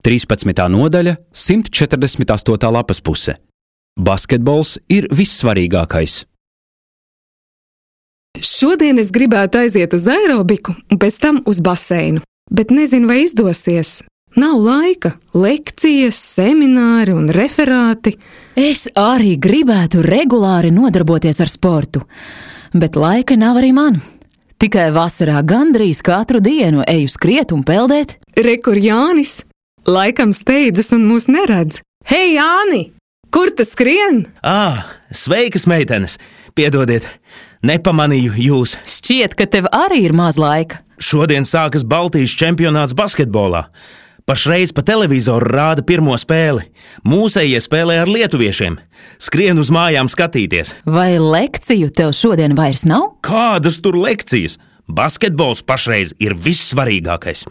13. nodaļa, 148. lapas puse. Basketbols ir vissvarīgākais. Šodien es gribētu aiziet uz aerobiku un pēc tam uz baseinu, bet nezinu, vai izdosies. Nav laika, lekcijas, semināri un referāti. Es arī gribētu regulāri nodarboties ar sportu, bet laika nav arī man. Tikai vasarā gandrīz katru dienu eju skriet un peldēt. Re, kur Jānis? Laikam steidzas un mūs neredz. Hei, Jāni! Kur tu skrien? Sveikas, meitenes! Piedodiet, nepamanīju jūs. Šķiet, ka tev arī ir maz laika. Šodien sākas Baltijas čempionāts basketbolā. Pašreiz pa televizoru rāda pirmo spēli. Mūsējie spēlē ar lietuviešiem. Skrien uz mājām skatīties. Vai lekciju tev šodien vairs nav? Kādas tur lekcijas? Basketbols pašreiz ir vissvarīgākais.